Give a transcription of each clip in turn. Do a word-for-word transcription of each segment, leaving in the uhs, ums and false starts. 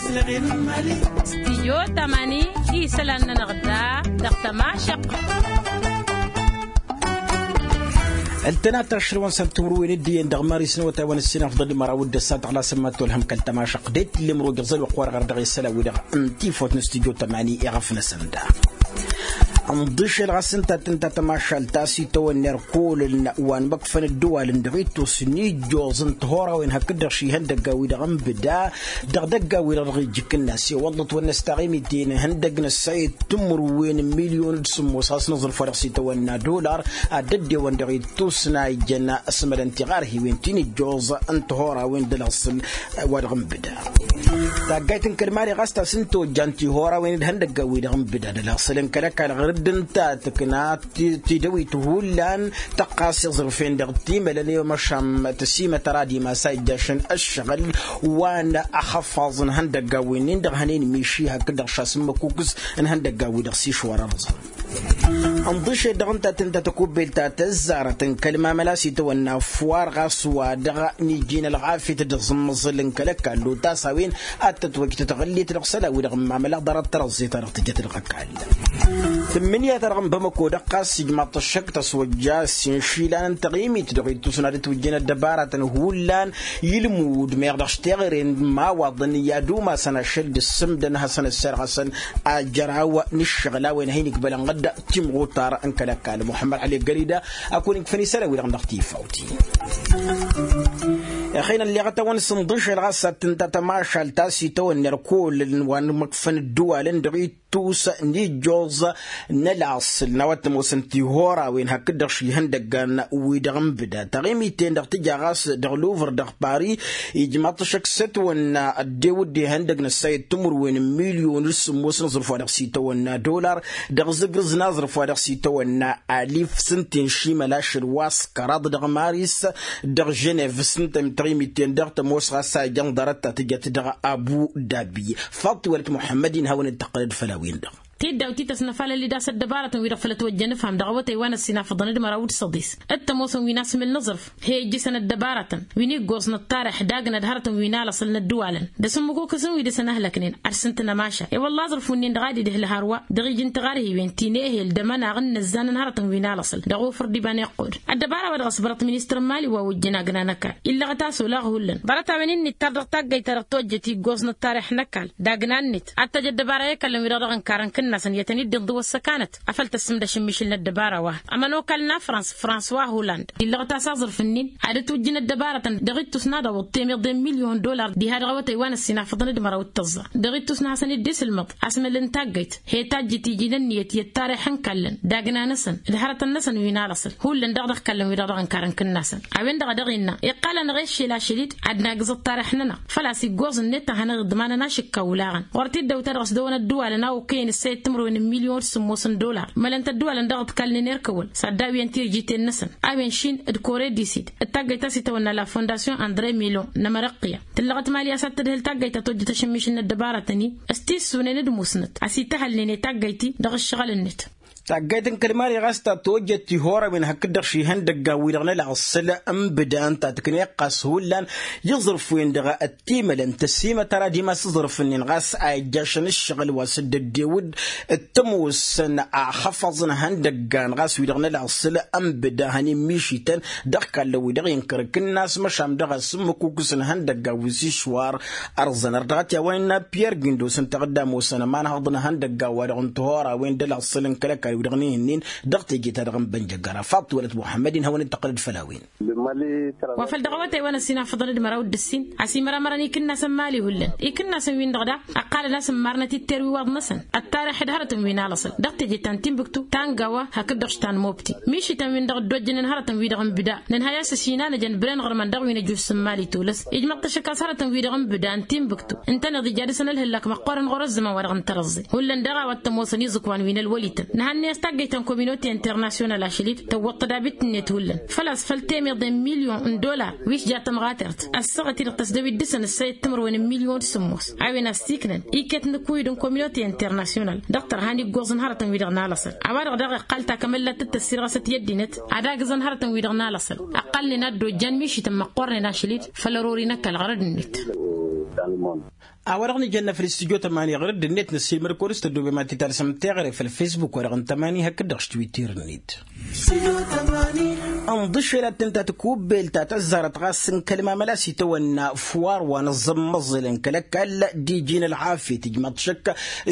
Stijyo tamani isălan-nănăɣ da dăɣ-tămašăq. Ǝntăna tašrǝwăn s-ăntimǝrwen dd-iyyăn dăɣ-maris n-awătay wa n-ǝssin afḍăn d-măraw d-ǝssa tăɣlasăn ma t-olhăm kăl-tamašăq d-e t-ǝllem rogăẓ ălwăqq-wa-dăɣ ardăɣ i-isălan-wi-dăɣ n-tifawt n-stijyo tamani iɣăf-năsăn da. Ǝnḍǝšel ɣas ǝnta tǝnta tămašalt ta s-itawănna irkolăn wa n-imăkfăn ăddǝwalăn dăɣ-ittus n-ijjoẓ n-tihurawen hakd-dăɣ šihăndăgga-wi-dăɣ n-bǝda dăɣ-idăgga-wi-dăɣ dăɣ-ijjǝk-nănna s-iwăḍḍăt wăr năsta ɣimiten ihăndăg n-ăssayăt timǝrwen n-milyon d-sǝmmos a-s nǝẓrǝf wa dăɣ-s itawănna dolar ad-dd-ewăn dăɣ-ittus n-a ijjăn asmălăn tiɣarhiwen ti n-ijjoẓ n-tihorawen d-ălăɣsǝl wa dăɣ-nǝbda. Taggayt n-kăl-mali ɣas ta s-ǝnta ojjan tihorawen d-ihăndăggan-wi-dăɣ nǝbda d-ălăɣsǝl n-kăl-ăkall ɣǝrǝdd ǝnta tǝkna tidăwit hullan tăqqas iẓrǝfen dăɣ-timălăn i-măšan tăsimătăr ad-imas a ijjašăn ǝššăɣǝl wa n-axăffaẓ n-ihăndăggan-wi-nin-dăɣ hănen miši hakd-dăɣ šasǝmmăkukǝs n-ihăndăggan-wi-dăɣ s-išwar ărẓăn. Ănḍǝšed dăɣ-ǝnta tǝnta tăkubbelt ta tăzzarăt n-kăl-mamăla s-itawănna ăfwar ɣas wa dăɣ-niji n-ălɣafyăt d-aẓǝmmăẓǝl n-kăl-ăkall otas a-wen ad-tătwăj tătɣǝllet dăɣ-isălan-wi-dăɣ n-mamăla ḍarăt tărăẓẓe-ta-dăɣ tǝjăt dăɣ-ăkall. Tǝmmǝnǝya-ta-dăɣ n-bamăko dăɣ-ɣas ijmaḍ-t ăššăk tăswăjja s-inšila n-taɣimit dăɣ-ittus n-ad-ǝtwǝjjăn ăddăbaratăn hullan ilmud meɣ dăɣ-s teɣăre n-imawaḍăn i-ad-umasăn ašăl d-ǝssǝmdăn ad-hasăn-ăsserɣăsăn ajăraw n-ǝššăɣǝl a-wen a hin-ikbălăn ɣǝdda timɣutar n-kăl-ăkall muḥămmăd ăli gălida. Ad-kăwăn-ikfăn isălan-wi-dăɣ dăɣ-tifawt-i. Ixen ălleɣăt-awăn s-ǝnḍǝšăl ɣas ad-tǝnta tămašalt ta s-itawănna ărkol wa n-imǝkfăn ǝddǝwalăn dăɣ-ittus n-ijjoẓ n-ălaṣǝl n-a-wa t-ămoosăn tihorawen hakd-dăɣ šihăndăggan-wi-dăɣ n-bǝda taɣimiten-dăɣ tǝja ɣas dăɣ-luvăr dăɣ-pari. Ijmaḍ-t ăššăk s-ătwănna ăddewǝd ihăndăg n-ăssayăt timǝrwen n-milyon d-sǝmmos n-aẓrǝf wa dăɣ-s itawănna dolar dăɣ-zǝgrǝz n-aẓrǝf wa dăɣ-s itawănna alif s-ǝnta inšimăl ašăl wa s-kăraḍ dăɣ-maris dăɣ-ženev s-ǝnta taɣimiten-dăɣ tămoos ɣas a ijăn ḍarăt ta tǝjăt dăɣ-abu dabi. Faḍt tiwălăt muḥămmăd-in hawăn-dd-tăqqǝlăd făll-a-wen-dăɣ. Tiddawt-i tăsnăfalăl-dd a-s ăddăbarătăn-wi-dăɣ făll-ătwăjjăn ǝfham dăɣ-awătay wa n-ăssinafăḍăn d-măraw d-săḍis. Dd-tămoosăn wi n-asmǝl n-aẓrǝf he ijjǝsăn ăddăbarătăn wi n-iggoẓ n-ăṭṭarix dagna d-hărătăn wi n-alăṣăl n-ăddǝwalăn d-asǝmmǝkukǝsăn wi dăɣ-săn ăhlăknen ad-sǝntǝn ămaša i-wălla aẓrǝf-win-dăɣ a d-idhǝl hărwa dăɣ-iji n-tiɣarhiwen ti n-ehel d-ămănaɣ n-inǝzzan n-hărătăn wi n-alăṣăl dăɣ-ofăr d-iba n-iqqud. Ăddăbara wa dăɣ-s bărăt ministăr n-mali wa ojjăn agna n-ăkall illăɣăt a-s olaɣ hullan ḍarăt-a-wen-in nǝttar dăɣ-taggăyt-ta-dăɣ tojjăt iggoẓ n-ăṭṭarix n-ăkall dagna-net ad-tăj ăddăbara i-kăllăn wi-dăɣ dăɣ-ǝnkarăn kǝnnasăn i-ad-tăn-dd-inḍǝw ăssăkanăt afăl tăssǝmdăš ǝmmišǝl n-ăddăbara wa. Ămănokal n-afrans françois holland illăɣăt a-s aẓrǝf-nin ad-ǝtwǝjjǝn ăddăbarătăn dăɣ-ittus n-ad-awǝḍ temeḍe n-milyon dolar diha dăɣ-awătay wa n-ăssinafăḍăn d-măraw d-tăẓẓa dăɣ-ittus n-ad-hasăn-dd-isǝlmăḍ asmăl n-taggăyt he tajjǝt iji n-ǝnniyăt i-ăṭṭarix n-kallăn d-agna-năsăn d-hărătăn-năsăn wi n-alăṣăl hullan dăɣ-dăɣ kallăn wi-dăɣ dăɣ-ǝnkarăn kǝnnasăn. A-wen-dăɣ a dăɣ-innă iqqal-anăɣ i-ăššel ašăl-dd ad-nagǝz ăṭṭarix-nănăɣ făl-a-s iggoẓ-net a hanăɣ-iḍmanăn ašǝkka olaɣăn ɣur-t-dd-ăwta dăɣ-s dăɣ-wăn ădduwalăn a okăyăn ǝssăyăt timǝrwen n-milyon d-sǝmmos n-dolar mălăn-t ădduwalăn dăɣ-dd-kallnen erkăwăl s-ad-dd-awǝyăn tirjiten-năsăn. A-wen šin d-kore disid d-taggăyt ta s-itawănna la fondasyon andre milon n-emărăqqǝya tǝllăɣăt mali a-s ad-tădhǝl taggăyt ta tojjăt ašǝmmišǝl n-ăddăbarătăn-i s-tissunen d-musnăt a-s ităhălnen i-taggăyt-i dăɣ-ǝššăɣǝl-net. Taggayt n-kăl-mali ɣas ta tojjăt tihorăwen hakd-dăɣ šihăndăggan-wi-dăɣ n-ălaɣsǝl n-bǝda ǝnta tǝkneɣ ɣas hullan iẓrǝf-wen-dăɣ ăttimălăn tăsimăt ara dimas iẓrǝf-nin ɣas a ijjašăn ǝššăɣǝl wa s-dd-ăddewǝd d-tămoosăn axăfăẓ n-ihăndăggan ɣas wi-dăɣ n-ălaɣsǝl n-bǝda hănen mišităn dăɣ-kallăn-wi-dăɣ inkăr kǝnnas măšan dăɣ-asǝmmǝk ukǝs n-ihăndăggan wi s-išwar. Ărẓăn ărdăɣăt i-a-wa innă piyăr gindos ǝnta ad-ămoosăn ămanhăḍ n-ihăndăggan wa-dăɣ n-tihora a-wen d-ălaɣsǝl n-kăl-ăkall-wi-dăɣ n-ihǝnnin dăɣ-teje-ta-dăɣ n-bănjăggăra faḍt tiwălăt muḥămmăd-in hawăn-dd-tăqqǝlăd făll-a-wen. Wa făl dăɣ-awătay wa n-ăssinafăḍăn d-măraw d-ǝssin a-s imăramărăn ikǝnnasăn mali hullan ikǝnnasăn-win-dăɣ daɣ ăqqalăn a-s ǝmmarnăt itter wi iwaḍ-năsăn ăṭṭarix d-hărătăn wi n-alăṣăl dăɣ-teje ta n-tinbǝktu ta n-gawa hakd-dăɣ s-ta n-mobti mišităn-win-dăɣ dd-ojjănen hărătăn-wi-dăɣ n-bǝda nǝnhăy a-s ăsinanăjăn bren ɣărmăn dăɣ-wi n-ăjus n-mali tolăs ijmăḍ-t ašăk a-s hărătăn-wi-dăɣ n-bǝda n-tinbǝktu ǝntăneḍ ija dăr-săn ălhǝllak măqqoorăn ɣur-ăzzăman wa dăɣ-n tărăẓẓe hullan daɣ a-wa t-ămoosăn iẓǝkwan wi n-ălwălităn nǝhannăy a-s taggăyt ta n-kominote internasyonal ašăl-dd tăwwăḍ tădabit-net hullan făl-a-s făll-temeḍe n-milyon n-dolar wi s-ja tămɣatert ăssaɣăt-i-dăɣ tăsdăwit dăɣ-săn ǝssayăt timărwen n-milyon d-sǝmmos a-wen a-s tiknăn iket n-ǝkuyǝd n-kominote internasyonal dăɣ-tărha n-iggoẓ n-hărătăn-wi-dăɣ n-alăṣăl a-wa-dăɣ daɣ iqqal takămăllat d-tăssirɣăsăt i-ăddinăt ad-agǝẓăn hărătăn-wi-dăɣ n-alăṣăl ăqqălnen a dd-ojjan mišităn măqqoornen ašăl-dd făll-ărori n-ăkall ɣărăd-net. A-wa-dăɣ nǝjănna făll-studyo tămani ɣur-dd-net năssiilmăd kăwăr-s tăddoobem ad-t-talsăm teɣăre făll-fesbuk wa-dăɣ n-tămani hakd-dăɣ s-twitter-net. Ănḍǝšel ad-tǝnta tikubbelt ta tăzzarăt ɣas n-kăl-mamăla s-itawănna fuwar wa n-aẓǝmmăẓǝlăn kăl-ăkall d-iji n-ălɣafyăt ijmaḍ-t šăkk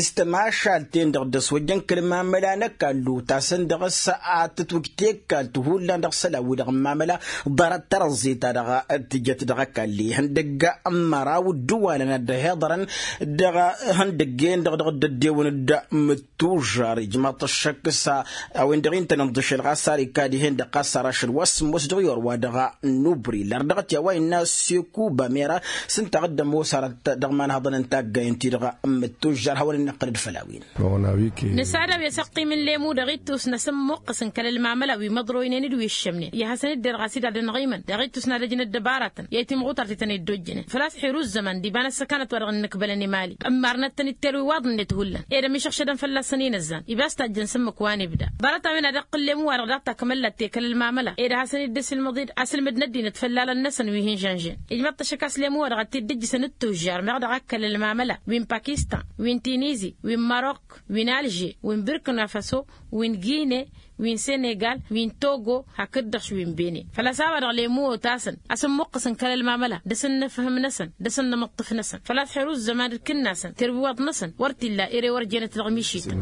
s-tămašalt-en-dăɣ d-ăswăjjăn kăl-mamăla n-ăkall utasăn dăɣ-s ad-tǝtwǝj tekkalt hullan dăɣ-isălan-wi-dăɣ n-mamăla. Ḍarăt tarăẓẓe-ta-dăɣ tǝjăt dăɣ-ăkall ihăndăgg n-măraw ǝddǝwalăn ad-dd-ăhiḍărăn dăɣ-ihăndăgg-en-dăɣ dăɣ-dd-ăddewăn d-mǝttužžar ijmaḍ-t ăššăk s-a-wen-dăɣ intăn ǝnḍǝšel ɣas ar ikad-ihen-dăɣ ɣas ar ašăl wa s-ămoos dăɣ-i orwa dăɣ-nubri lar dăɣ-t i-a-wa innă sekuba mera s-ǝnta a dd-ămoos arăt dăɣ-imanhăḍăn n-taggayen-ti-dăɣ. N-mǝttužžar hawăn-in-năqqălăd făll-a-wen. Nǝsad a-wi ăsăqqim n-lemu dăɣ-ittus n-asǝmmuqqǝs n-kăl-ălmamăla wi măḍroynen d-wi ǝššămnen i-ad-hasăn-dd-irɣas-dd ad-ănɣimăn dăɣ-ittus n-ad-ăj n-ăddăbaratăn i-timɣutart i-tăn-dd-ojjănen făl-a-s xiru ǝzzăman d-iba n-ăssăkanăt wa dăɣ-ǝnnǝkbălăn i-mali ǝmmarnăt-tăn-dd telwi waḍ-net hullan ed ămišăɣšădăn fălla-săn inǝzzan ibas tajjăn s-ǝmmǝk wa n-ibda. Ḍarăt-a-wen ad-iqqǝl lemu wa dăɣ-daɣ takmăllat tekăl ălmamăla ed ad-hasăn-dd-ăsilmăḍ-dd asǝlmǝd n-ăddinăt făllalăn-năsăn wi hin-žănžen. Ijmăḍ-t ăššăk a-s lemu wa dăɣ-t-dd-ǝjjǝsăn d-tužžar meɣ dăɣ-akkăl ălmamăla wi n-pakistan wi n-tinizi wi n-marok wi n-alže wi n-birkina faso wi n-gine wi n-senegal wi n-togo hakd-dăɣ wi n-bene. Făl-a-s a-wa-dăɣ lemu otasăn a-s ǝmmuqqǝsăn kăl-ălmamăla d-asǝnnǝfhǝm-năsăn d-asǝnnǝmǝṭṭǝf-năsăn făl-a-s xeru ǝzzăman d-kǝnnasăn terwiwaḍ-năsăn wăr t-illa ere wăr jenăt dăɣ-mišităn.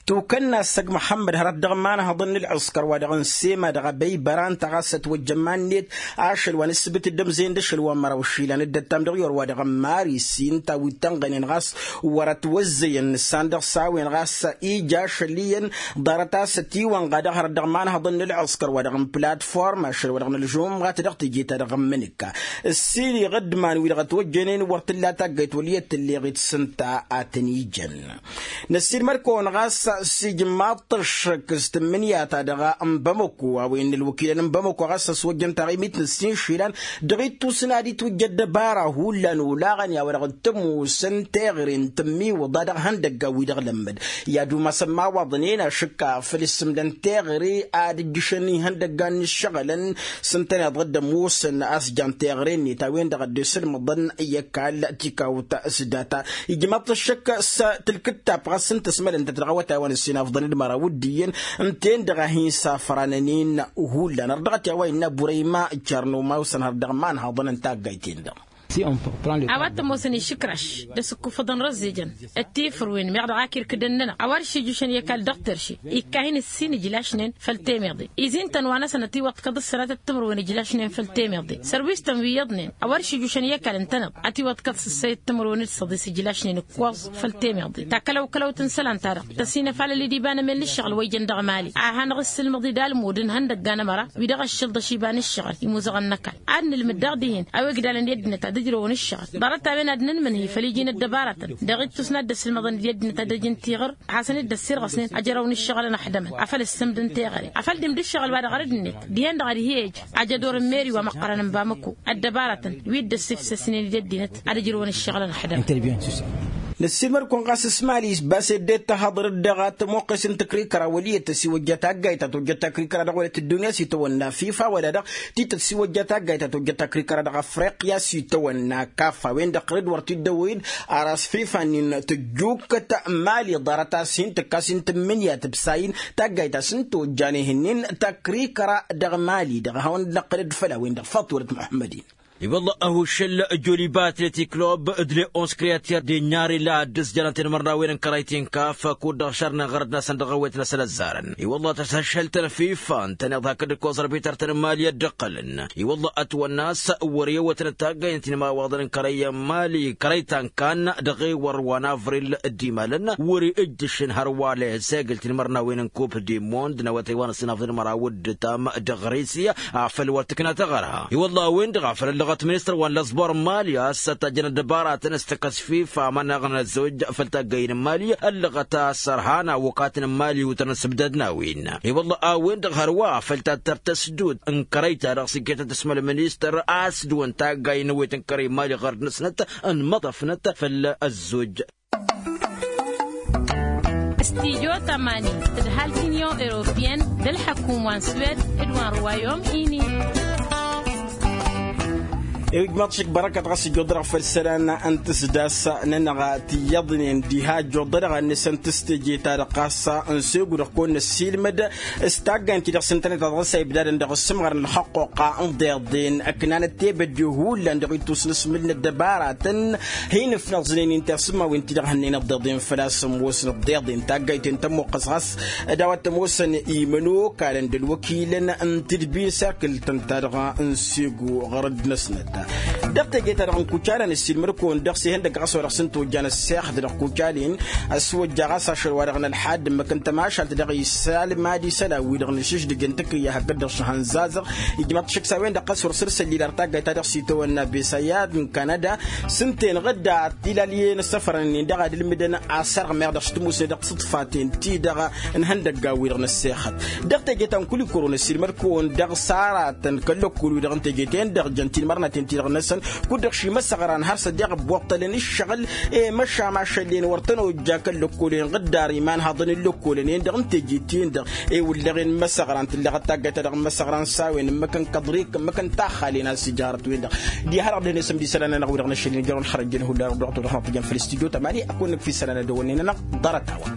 Tukănna ăssăg muḥămmăd hărăt dăɣ-imanhăḍăn n-ălɣǝskăr wa dăɣ-n-sema dăɣ-abăybăra ǝnta ɣas ătwăjjăn iman-net ašăl wa n-ǝssǝbǝt d-ămzeyăn d-ašăl wa n-măraw išilan dd-ăttam dăɣ-i orwa dăɣ-n mari s-inta wi t-ănɣănen ɣas wăr-ătwăzzăyăn nǝssan dăɣ-s a-wen ɣas ija ašăl iyyăn. Ḍarăt a-s ătiwănɣa dăɣ-hărăt dăɣ-imanhăḍăn n-ălɣǝskăr wa dăɣ-n platform ašăl wa dăɣ-n ălžumɣat dăɣ-teje-ta-dăɣ n-imǝnǝkka ǝssin iɣǝddǝman wi-dăɣ ătwăjjănen wăr t-tǝlla taggayt wăl' iyyăt tǝlleɣ-it s-ǝnta a tăn-ijăn. Năssiilmăd-kăwăn ɣas s-ijmaḍ-t ăššăk s-tǝmmǝnǝya-ta-dăɣ n-bamăko a-wen n-ălwăkilăn n-bamăko ɣas ăswăjjăn taɣimit n-ǝssin išilan dăɣ-ittus n-ad-itwǝjj ăddăbara hullan olaɣăn i-a-wa-dăɣ t-ămoosăn teɣăre n-tǝmmiwǝḍa dăɣ-ihăndăggan wi-dăɣ lămmăd i-ad-umasăn imawaḍnen ašǝkka făll-issǝmdăn teɣăre ad-ǝjjǝšăn ihăndăggan n-ǝššăɣǝlăn s-ǝntăneḍ dd-ămoosăn a-s jan teɣăre-net a-wen-dăɣ dd-isǝlmăḍăn i-ăkall tikawt s-data. Ijmaḍ-t ăššăk s-tǝlkǝttab ɣas ǝnta ăsmălăn-tăt dăɣ-awătay wa n-ǝssin afḍăn d-măraw d-iyyăn ǝnta-en-dăɣ a hin-safrănăn-in hullan har dăɣ-t i-a-wa innă burăyma. Carnoma osăn har dăɣ-imanhăḍăn n-taggayt-en-dăɣ. A-wa t-ămoosăn išǝkraš d-asǝkkufăḍăn răzzejăn d-tifărwen meɣ dăɣ-ak irkǝdăn-nănăɣ a-wa dăɣ-s ijušăn i-ăkall dăɣ-terše ikka hin-ǝssin ijlašnen făll-temeḍe. Izin-tăn wa-năsăn ătiwăḍkăḍ ǝssărătăt timǝrwen ijlašnen făll-temeḍe sărwis-tăn wi iyyăḍnen a-wa dăɣ-s ijušăn i-ăkall ǝntăneḍ ătiwăḍkăḍ s-ǝssăyăt timǝrwen d-săḍis ijlašnen ǝkkoẓ făll-temeḍe. Takălăw-kălăwt n-isălan-ta-dăɣ tăsinăfalăl-dd iba n-emel n-ǝššăɣǝl wa ijăn dăɣ-mali a hanăɣ-issǝlmăḍ-dd almud n-ihăndăgga n-ămăra wi-dăɣ ăššăl d-ašibăn ǝššăɣǝl imuzăɣăn n-ăkall. Ad-nǝlmǝd daɣ dihen a-wa igdalăn i-ăddinăt ad-ǝjrăwăn ǝššăɣǝl ḍarăt-a-wen ad-nǝnmǝnhǝy făll-iji n-ăddăbarătăn dăɣ-ittus n-ad-dd-ăsǝlmăḍăn d-i ăddinăt ad-ăj n-tiɣǝr hasăn-dd-ăssirɣăsnen ăjrăwăn ǝššăɣǝlăn ăḥdămăn afăl ǝssǝmdăn teɣăre afăl dd-imdǝššăɣǝl-wa-dăɣ ărǝd-net dihen-dăɣ ad-hi-ej ajădor n-meri wa măqqărăn n-bamăko ăddăbarătăn wi dd-ăssifsăsnen d-ăddinăt ad-ǝjrǝwăn ǝššăɣǝlăn ăḥdămăn. Năssiilmăd-kăwăn ɣas s-mali bas eddet tahăḍrăt dăɣ-tamwăqqes n-takrikăra wăl' iyyăt tăsiwăjja taggayt ta tojjăt takrikăra dăɣ-wăla tǝddunya s-itawănna fifa wăla-dăɣ tităt siwăjja taggayt ta tojjăt takrikăra dăɣ-afriqya s-itawănna kaf a-wen-dăɣ ɣǝrǝd wăr t-dd-ăwwăyăn. Ar a-s fifa-nin tǝjjukkăt mali ḍarăt a-s hin-tǝkkas n-tǝmmǝnǝya tǝbsay-in taggayt a-s n-tojjan ihǝnnin takrikăra dăɣ-mali dăɣ-hawăn-dd-năqqǝlăd făll-a-wen-dăɣ faḍt wălăt muḥămmăd-in. I-wălla ăhuššăl joliba atletik club d-le onze creater de nyari la ad-dd-sǝjănăn tinmărnawen n-kărăy ti n-kaf kud-dăɣ šărnen ɣărăd-năsăn dăɣ-ewet-năsăn ăzzarăn i-wălla tăshăšhăl-tăn fifa ǝntăneḍ hakd ǝkkoẓ ărbităr-tăn n-mali ad-dd-ǝqqǝlăn i-wălla ătwănna a-s wăr-e ewătnăt taggayăn tinmawaḍăn n-kărăy n-mali kărăy ta n-kan dăɣ-ewăr wa n-avril. D-imalăn wăr-e ǝjjǝšăn hărwa lehzegǝl tinmărnawen n-kup d-imond n-awătay wa n-ăssinafḍăn măraw d-ǝtam d-ɣrisi afăl wăr tǝkna tăɣărha i-wălla a-wen-dăɣ a făl ăllăɣăt ministăr wa n-lăẓbor n-mali a-s ătajjăn ăddăbaratăn s-tǝkkăs fifa amănăɣ n-ăzzojj făll-taggăyăn n-mali ăllăɣăt a-s ărhan awăkatăn n-mali wǝtărăn s-ǝbdădăn a-wen i-wălla a-wen-dăɣ hărwa făll-tattăr tăsdut n-kărăy-ta-dăɣ s-iket ad-tǝsmăl ministăr a-s dăɣ-wăn taggay n-ewet n-kărăy n-mali ɣărd-năsnăt ănmăḍăfnăt făll-ăzzojj. Studyo tămani d-ăhalk union europeyăn d-ălḥăkum wa n-swed d-wa n-rwayom ini. I-wi ǝjmaḍ šik bărăkăt ɣas ǝjjuḍ-dăɣ făll-isălan n-tǝsdas-nănăɣ ti iyyăḍnen diha ǝjjuḍ-dăɣ ad-nǝsăn tǝstǝje-ta-dăɣ ɣas n-segu-dăɣ kăwăn-năssiilmăd s-taggayăn-ti-dăɣ s-ǝntănet a dăɣ-s a ibdadăn dăɣ-ǝssǝmɣărăn ălxăqqoqqa n-iḍeḍen ǝknanăt tebădde hullan dăɣ-ittus n-asmǝl n-ăddăbaratăn. Hin-ǝfnăẓnen inta i-sǝmmawen-ti-dăɣ hănnăynăt iḍeḍen făl-a-s ămoosnăt iḍeḍen taggayten tămmoqqăs ɣas d-a-wa t-ămoosăn imănokalăn d-ălwăkilăn n-tǝdbi n-serkǝl-tăn-ta-dăɣ n-segu ɣărăd-năsnăt. Dăɣ-teje-ta-dăɣ n-kucalăn ăssiilmăd-kăwăn dăɣ-s ihăndăgg ɣas wa dăɣ-s n-tojjan ăssexăt dăɣ-kucalin ăswăjja ɣas ašăl wa dăɣ-nălḥad ǝmmǝk n-tămašalt dăɣ-isalmad isălan-wi-dăɣ n-išǝždǝj n-takǝyya hakd-dăɣ šăhăn zazăɣ. Ijmăḍ-t šik s-a-wen-dăɣ ɣas wăr săr-săllil ar taggayt ta dăɣ-s itawănna besayad n-kanada s-ǝnta-en ɣǝdda tilalyen ăssăfrănăn-in-dăɣ ad-ǝlmǝdăn asărɣ meɣ dăɣ-s tǝmusne dăɣ-tiṣǝḍfaten-ti-dăɣ n-ihăndăggan-wi-dăɣ n-ăssexăt. Dăɣ-teje ta n-kul-ikoro n-ăssiilmăd-kăwăn dăɣ-s aratăn kăl-lăkkol-wi-dăɣ n-teje-ten-dăɣ jăn tinmărnaten-ti-dăɣ-năsăn kud-dăɣ šimăsăɣran har s-ăddeɣ ăbboṭṭălăn ǝššăɣǝl. I-măšan ašăllen wăr tăn-ojja kăl-lăkkolăn ɣǝddar iman haḍăn n-lăkkolăn-en-dăɣ n-teje-ten-dăɣ i-wǝllăɣen măsăɣran tǝlleɣăt taggayt-ta-dăɣ n-măsăɣran s-a-wen ǝmmǝk n-kăḍrikăn ǝmmǝk n-taxxalen a-s ǝjarăt-wen-dăɣ. Diha-dăɣ dăɣ-nesăm d-isălan-nănăɣ wi-dăɣ n-ašăl injărăn xărăjjăn hullan ărdăɣăt-o-dăɣ n-ad-t-ijăn făll-istudyo tămani ad-kăwăn-nǝkf isălan ad-dăwănnen-nănăɣ. Ḍarăt-a-wa.